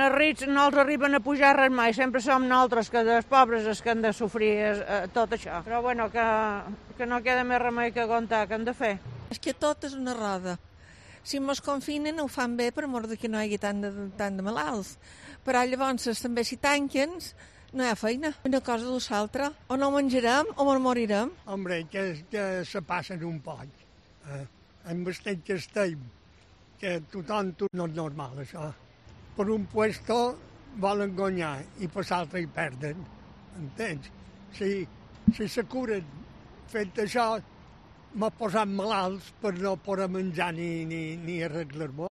els rics no els arriben a pujar res mai, sempre som nosaltres, que dels pobres, els que han de sofrir tot això. Però bueno, que no queda més remei que aguantar, que hem de fer. És que tot és una roda. Si mos confinen ho fan bé per mort que no hi hagi tant de malalts. Però llavors també si tanquen no hi ha feina. Una cosa o l'altra. O no menjarem o ens morirem. Hombre, que se passen un poc. Amb el que estem, que tothom no és normal, això. Per un puesto volen guanyar i per l'altre hi perden. Entens? Si se curen fent això, m'ha posat malalts per no poder menjar ni arreglar-me.